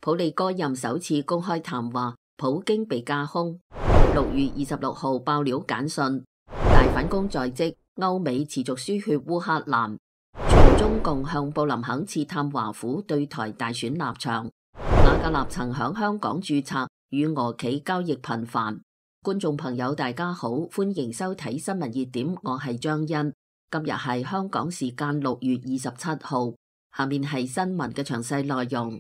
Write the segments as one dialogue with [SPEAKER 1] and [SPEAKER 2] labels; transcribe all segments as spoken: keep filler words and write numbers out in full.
[SPEAKER 1] 普利戈任首次公開談話，普京被架空。六月二十六號爆料簡訊，大反攻在即，歐美持續輸血烏克蘭。全中共向布林肯刺探華府對台大選立場。瓦格納曾響香港註冊，與俄企交易頻繁。觀眾朋友大家好，歡迎收睇新聞熱點，我係張欣。今日係香港時間六月二十七號，下面係新聞嘅詳細內容。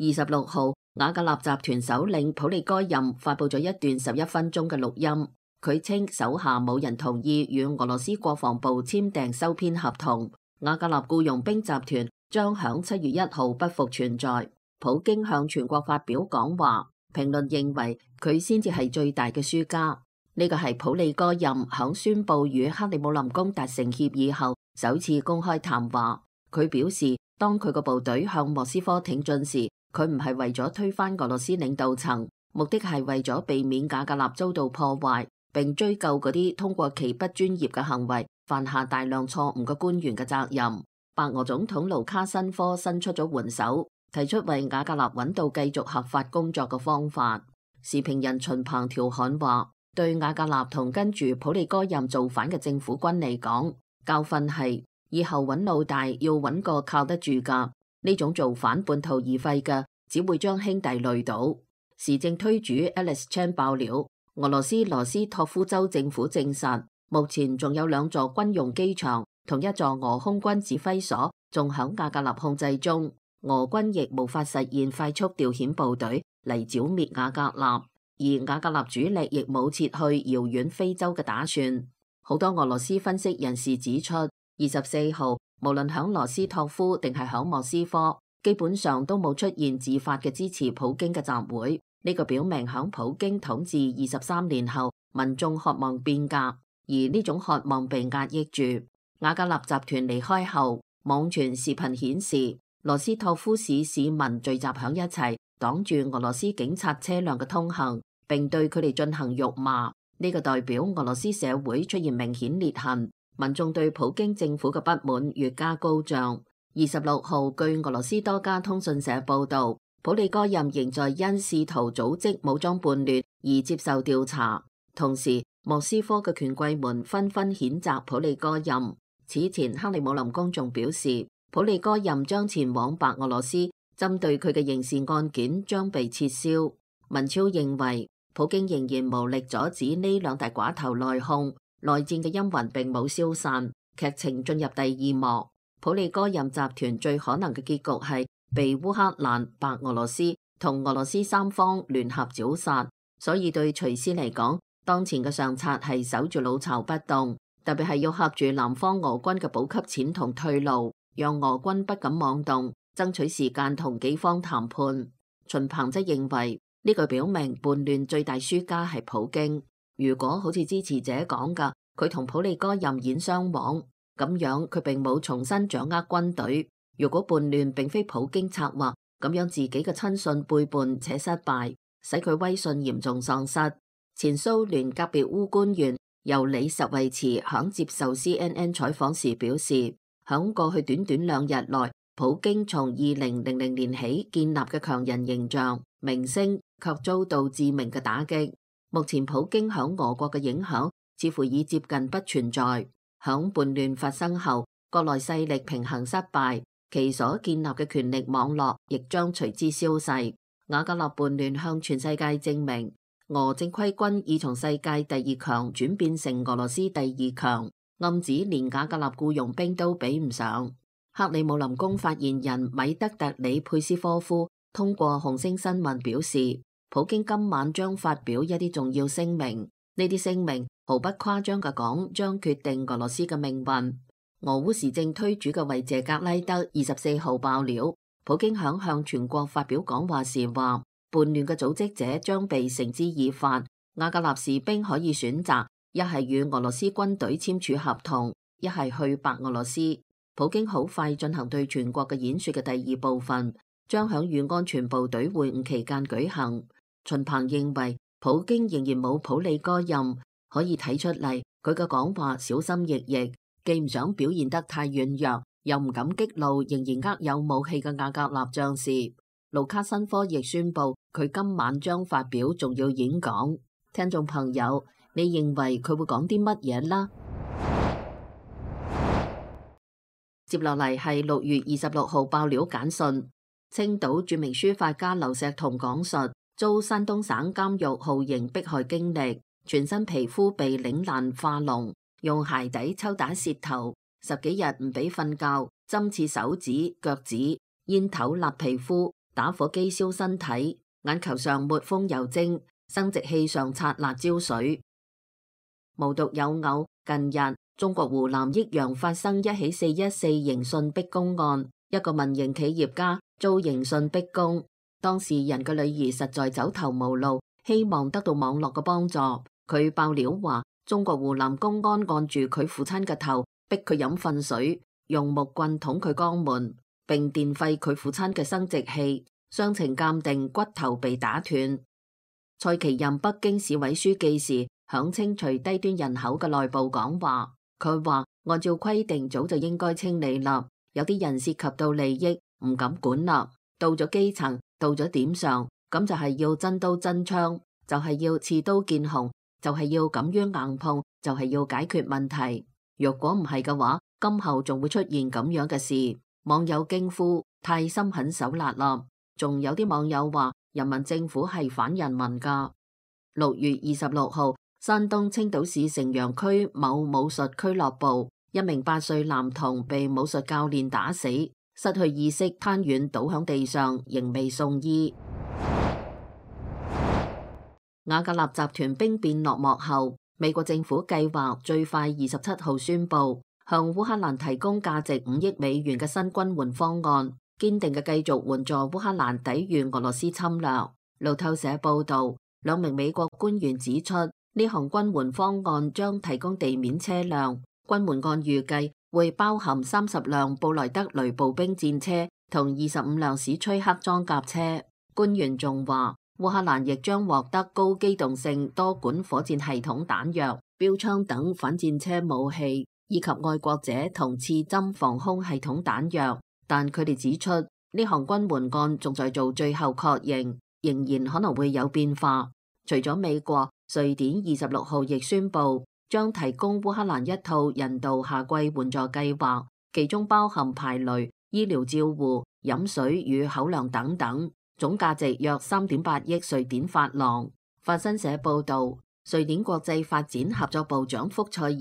[SPEAKER 1] 二十六號，瓦格納集團首領普利戈任發佈咗一段十一分鐘嘅錄音，佢稱手下冇人同意與俄羅斯國防部簽訂收編合同，瓦格納僱傭兵集團將響七月一號不復存在。普京向全國發表講話，評論認為佢先至係最大嘅輸家。呢個係普利戈任響宣布與克里姆林宮達成協議後首次公開談話。佢表示，當佢個部隊向莫斯科挺進時，佢唔係為咗推翻俄羅斯領導層，目的係為咗避免瓦格納遭到破壞，並追究嗰啲通過其不專業嘅行為犯下大量錯誤嘅官員嘅責任。白俄總統盧卡申科伸出咗援手，提出為瓦格納揾到繼續合法工作嘅方法。時評人秦鵬調侃話，對瓦格納同跟住普利戈任造反嘅政府軍嚟講，教訓係以後揾老大要揾個靠得住噶。呢種造反半途而廢嘅，只會將兄弟累倒。時政推主 Alice Chan 爆料，俄羅斯羅斯托夫州政府證實，目前仲有兩座軍用機場同一座俄空軍指揮所仲響瓦格納控制中，俄軍亦無法實現快速調遣部隊嚟剿滅瓦格納，而瓦格納主力亦冇撤去遙遠非洲嘅打算。好多俄羅斯分析人士指出，二十四號無論響羅斯托夫定係響莫斯科，基本上都冇出現自發嘅支持普京嘅集會。呢個表明響普京統治二十三年後，民眾渴望變革，而呢種渴望被壓抑住。瓦格納集團離開後，網傳視頻顯示羅斯托夫市市民聚集響一齊，擋住俄羅斯警察車輛嘅通行，並對佢哋進行辱罵。呢個代表俄羅斯社會出現明顯裂痕。民眾對普京政府嘅不滿越加高漲。二十六號，據俄羅斯多家通訊社報道，普利戈任仍在因試圖組織武裝叛亂而接受調查。同時，莫斯科嘅權貴們紛紛譴責普利戈任。此前，克里姆林宮仲表示，普利戈任將前往白俄羅斯，針對佢嘅刑事案件將被撤銷。文超認為，普京仍然無力阻止呢兩大寡頭內訌。內戰嘅陰雲並冇消散，劇情進入第二幕。普利戈任集團最可能嘅結局係被烏克蘭、白俄羅斯同俄羅斯三方聯合剿殺。所以對徐斯嚟講，當前嘅上策係守住老巢不動，特別係要嚇住南方俄軍嘅補給線同退路，讓俄軍不敢妄動，爭取時間同己方談判。秦鵬則認為呢個表明叛亂最大輸家係普京。如果好似支持者講噶，佢同普利戈任演雙簧，咁樣佢並冇重新掌握軍隊。如果叛亂並非普京策劃，咁樣自己嘅親信背叛且失敗，使佢威信嚴重喪失。前蘇聯格別烏官員尤里什維茨響接受 C N N 採訪時表示，響過去短短兩日內，普京從二零零零年起建立嘅強人形象名聲卻遭到致命嘅打擊。目前普京響俄國嘅影響似乎已接近不存在。響叛亂發生後，國內勢力平衡失敗，其所建立嘅權力網絡亦將隨之消逝。瓦格納叛亂向全世界證明，俄正規軍已從世界第二強轉變成俄羅斯第二強，暗指連瓦格納僱傭兵都比唔上。克里姆林宮發言人米德特里佩斯科夫通過紅星新聞表示，普京今晚將發表一啲重要聲明，呢啲聲明毫不誇張嘅講，將決定俄羅斯嘅命運。俄烏時政推主嘅維謝格拉德二十四號爆料，普京響向全國發表講話時話，叛亂嘅組織者將被繩之以法，瓦格納士兵可以選擇一係與俄羅斯軍隊簽署合同，一係去白俄羅斯。普京好快進行對全國嘅演說嘅第二部分，將響與安全部隊會晤期間舉行。秦鵬認為普京仍然冇普利戈任，可以睇出嚟佢嘅講話小心翼翼，既唔想表現得太軟弱，又唔敢激怒仍然握有武器嘅瓦格納將士。盧卡申科亦宣布佢今晚將發表重要演講。聽眾朋友，你認為佢會講啲乜嘢啦？接落嚟係六月二十六號爆料簡訊，青島著名書法家劉錫彤講述遭山東省監獄酷刑迫害經歷，全身皮膚被擰爛化膿，用鞋底抽打舌頭，十幾日唔俾瞓覺，針刺手指、腳趾，煙頭辣皮膚，打火機燒身體，眼球上抹風油精，生殖器上擦辣椒水。無獨有偶，近日中國湖南益陽發生一起四一四刑訊逼供案，一個民營企業家遭刑訊逼供，當事人嘅女兒實在走投無路，希望得到網絡嘅幫助。佢爆料話，中國湖南公安按住佢父親嘅頭，逼佢飲糞水，用木棍捅佢肛門，並電廢佢父親嘅生殖器。傷情鑑定，骨頭被打斷。蔡奇任北京市委書記時，響清除低端人口嘅內部講話。佢話按照規定早就應該清理啦，有啲人涉及到利益，唔敢管啦。到咗基層，到咗點上，咁就係要真刀真槍，就係要刺刀見紅，就係要敢於硬碰，就係要解決問題。若果唔係嘅話，今後仲會出現咁樣嘅事。網友驚呼：太心狠手辣啦！仲有啲網友話人民政府係反人民噶。六月二十六號，山東青島市城陽區某武術俱樂部，一名八歲男童被武術教練打死，失去意識，癱軟倒響地上，仍未送醫。瓦格納集團兵變落幕後，美國政府計劃最快二十七號宣布向烏克蘭提供價值五億美元嘅新軍援方案，堅定嘅繼續援助烏克蘭抵禦俄羅斯侵略。路透社報道，兩名美國官員指出，呢項軍援方案將提供地面車輛，軍援案預計會包含三十輛布萊德雷步兵戰車同二十五輛史崔克裝甲車。官員仲話，烏克蘭亦將獲得高機動性多管火箭系統彈藥、標槍等反戰車武器，以及愛國者同刺針防空系統彈藥。但佢哋指出，呢項軍援案仲在做最後確認，仍然可能會有變化。除咗美國，瑞典二十六號亦宣布將提供烏克蘭一套人道夏季援助計劃，其中包含排雷、醫療照護、飲水與口糧等等，總價值約三點八億瑞典法郎。法新社報道，瑞典國際發展合作部長福塞爾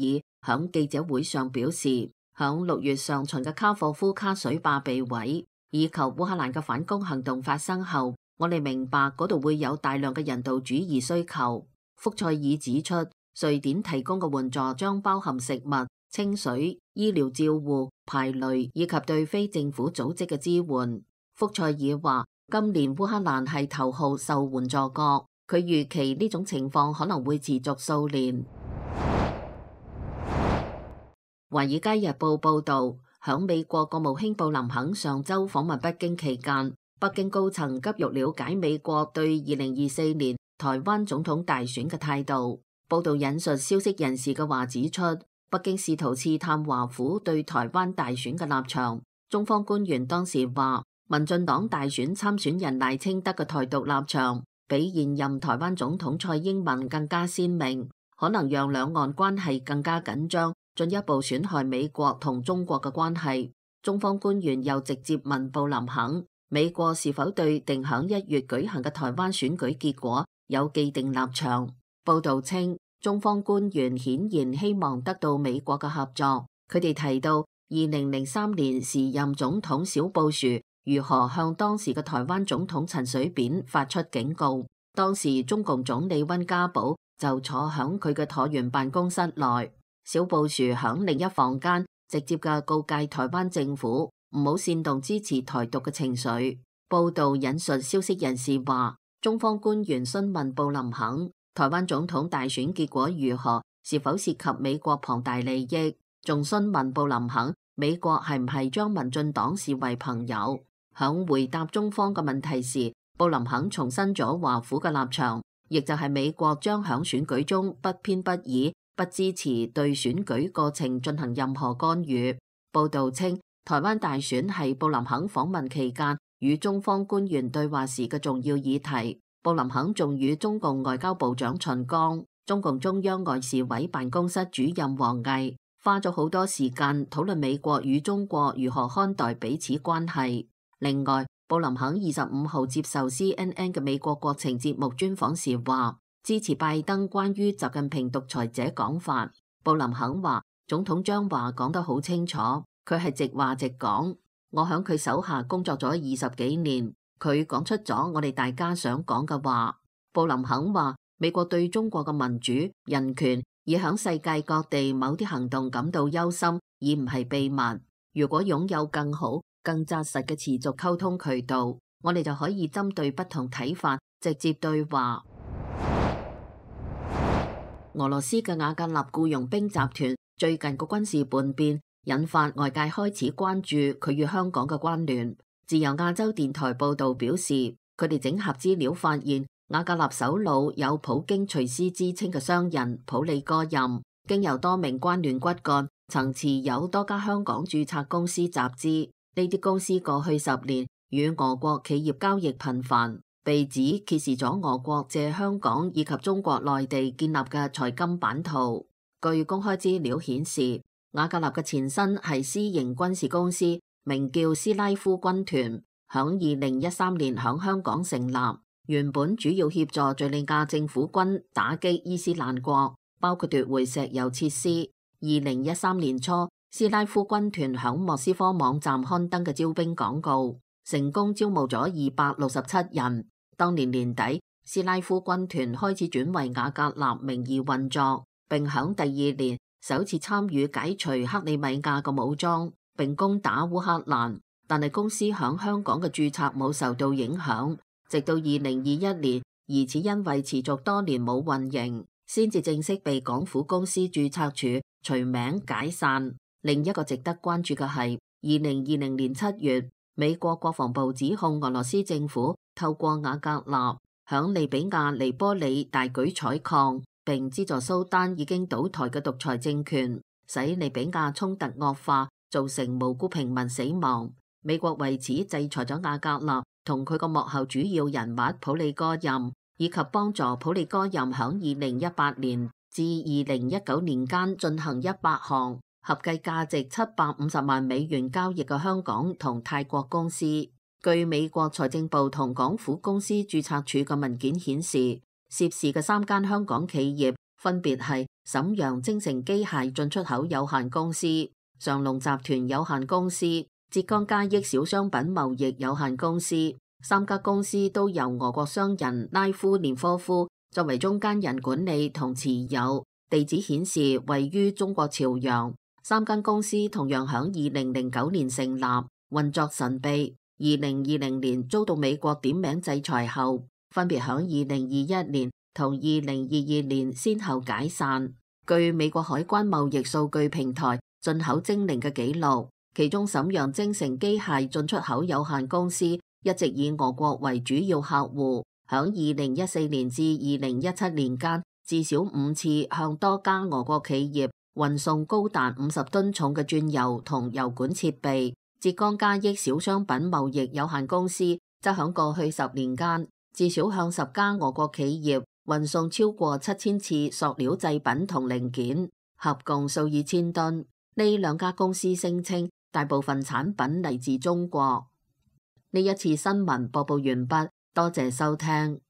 [SPEAKER 1] 響記者會上表示，響六月上旬嘅卡霍夫卡水壩被毀，以及烏克蘭嘅反攻行動發生後，我哋明白嗰度會有大量嘅人道主義需求。福塞爾指出，瑞典提供嘅援助將包含食物、清水、醫療照護、排雷以及對非政府組織嘅支援。福塞爾話，今年烏克蘭係頭號受援助國，佢預期呢種情況可能會持續數年。《華爾街日報》報道，響美國國務卿布林肯上周訪問北京期間，北京高層急欲了解美國對二零二四年台灣總統大選嘅態度。報道引述消息人士嘅話指出，北京試圖刺探華府對台灣大選嘅立場。中方官員當時話，民進黨大選參選人賴清德嘅台獨立場比現任台灣總統蔡英文更加鮮明，可能讓兩岸關係更加緊張，進一步損害美國同中國嘅關係。中方官員又直接問布林肯，美國是否對定響一月舉行嘅台灣選舉結果有既定立場？報道稱，中方官員顯然希望得到美國嘅合作。佢哋提到，二零零三年時任總統小布殊如何向當時嘅台灣總統陳水扁發出警告。當時中共總理溫家寶就坐響佢嘅橢圓辦公室內，小布殊響另一房間直接嘅告誡台灣政府唔好煽動支持台獨嘅情緒。報道引述消息人士話，中方官員詢問布林肯，台灣總統大選結果如何，是否涉及美國龐大利益，仲詢問布林肯，美國係唔係將民進黨視為朋友。響回答中方嘅問題時，布林肯重申咗華府嘅立場，亦就係美國將響選舉中不偏不倚，不支持對選舉過程進行任何干預。報道稱，台灣大選係布林肯訪問期間與中方官員對話時嘅重要議題。布林肯仲與中共外交部長秦剛、中共中央外事委辦公室主任王毅花咗好多時間討論美國與中國如何看待彼此關係。另外，布林肯二十五號接受 C N N 嘅美國國情節目專訪時話，支持拜登關於習近平獨裁者講法。布林肯話，總統將話講得好清楚，佢係直話直講。我響佢手下工作咗二十幾年，佢講出咗我哋大家想講嘅話。布林肯話，美國對中國嘅民主、人權以響世界各地某啲行動感到憂心，而唔係秘密。如果擁有更好、更紮實嘅持續溝通渠道，我哋就可以針對不同睇法直接對話。俄羅斯嘅瓦格納僱傭兵集團最近個軍事叛變，引發外界開始關注佢與香港嘅關聯。自由亞洲電台報道表示，佢哋整合資料發現，瓦格納首腦有普京隨師之稱嘅商人普里戈任，經由多名關聯骨幹，曾持有多家香港註冊公司集資。呢啲公司過去十年與俄國企業交易頻繁，被指揭示咗俄國借香港以及中國內地建立嘅財金版圖。據公開資料顯示，瓦格納嘅前身係私營軍事公司，名叫斯拉夫軍團，響二零一三年響香港成立，原本主要協助敘利亞政府軍打擊伊斯蘭國，包括奪回石油設施。二零一三年初，斯拉夫軍團響莫斯科網站刊登嘅招兵廣告，成功招募咗二百六十七人。當年年底，斯拉夫軍團開始轉為瓦格納名義運作，並響第二年首次參與解除克里米亞嘅武裝，並攻打烏克蘭。但係公司響香港嘅註冊冇受到影響，直到二零二一年，疑似因為持續多年冇運營，先至正式被港府公司註冊處除名解散。另一個值得關注嘅係，二零二零年七月，美國國防部指控俄羅斯政府透過瓦格納響利比亞尼波里大舉採礦，並資助蘇丹已經倒台嘅獨裁政權，使利比亞衝突惡化，造成無辜平民死亡。美國為此制裁咗瓦格納同佢個幕後主要人物普里戈任，以及幫助普里戈任響二零一八年至二零一九年間進行一百項合計價值七百五十萬美元交易嘅香港同泰國公司。據美國財政部同港府公司註冊處嘅文件顯示，涉事嘅三間香港企業分別係瀋陽精誠機械進出口有限公司、上龍集團有限公司、浙江嘉益小商品貿易有限公司。三家公司都由俄國商人拉夫連科夫作為中間人管理同持有，地址顯示位於中國朝陽。三間公司同樣響二零零九年成立，運作神秘。二零二零年遭到美國點名制裁後，分別響二零二一年同二零二二年先後解散。據美國海關貿易數據平台進口精靈嘅記錄，其中瀋陽精誠機械進出口有限公司一直以俄國為主要客戶，響二零一四年至二零一七年間，至少五次向多家俄國企業運送高達五十噸重嘅鑽油同油管設備。浙江嘉益小商品貿易有限公司則響過去十年間，至少向十家俄國企業運送超過七千次塑料製品同零件，合共數以千噸。呢兩家公司聲稱大部分產品嚟自中國。呢一次新聞播報完畢，多謝收聽。